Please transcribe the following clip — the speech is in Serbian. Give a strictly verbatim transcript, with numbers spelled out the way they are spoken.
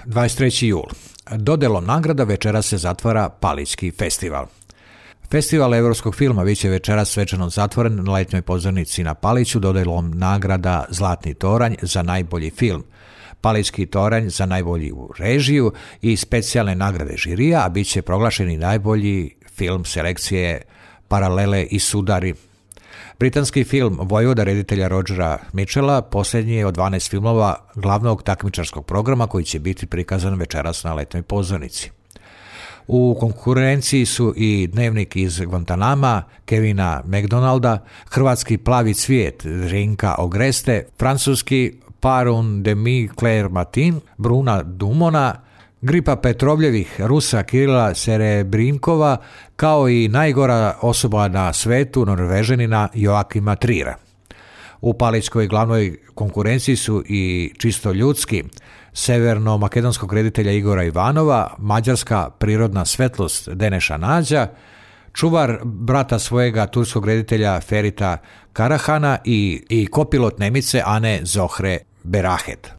dvadeset treći jul. Dodelom nagrada večeras se zatvara Palićki festival. Festival europskog filma biće večeras svečano zatvoren na letnjoj pozornici na Paliću dodelom nagrada Zlatni toranj za najbolji film, Palićki toranj za najbolju režiju i specijalne nagrade žirija, a bit će proglašeni najbolji film selekcije Paralele i sudari. Britanski film Vojvoda reditelja Rogera Mitchella posljednji je od dvanaest filmova glavnog takmičarskog programa koji će biti prikazan večeras na letnjoj pozornici. U konkurenciji su i Dnevnik iz Guantanama Kevina McDonalda, hrvatski Plavi cvijet Rinka Ogreste, francuski Par un demi Claire Martin Bruna Dumona, Gripa Petrovljevih Rusa Kirila Serebrinkova, kao i najgora osoba na svetu Norvežanina Joakima Trira. U Palićkoj glavnoj konkurenciji su i Čisto ljudski severno-makedonskog reditelja Igora Ivanova, mađarska Prirodna svetlost Deneša Nađa, Čuvar brata svojega turskog reditelja Ferita Karahana i, i kopilot Nemice Ane Zohre Berahet.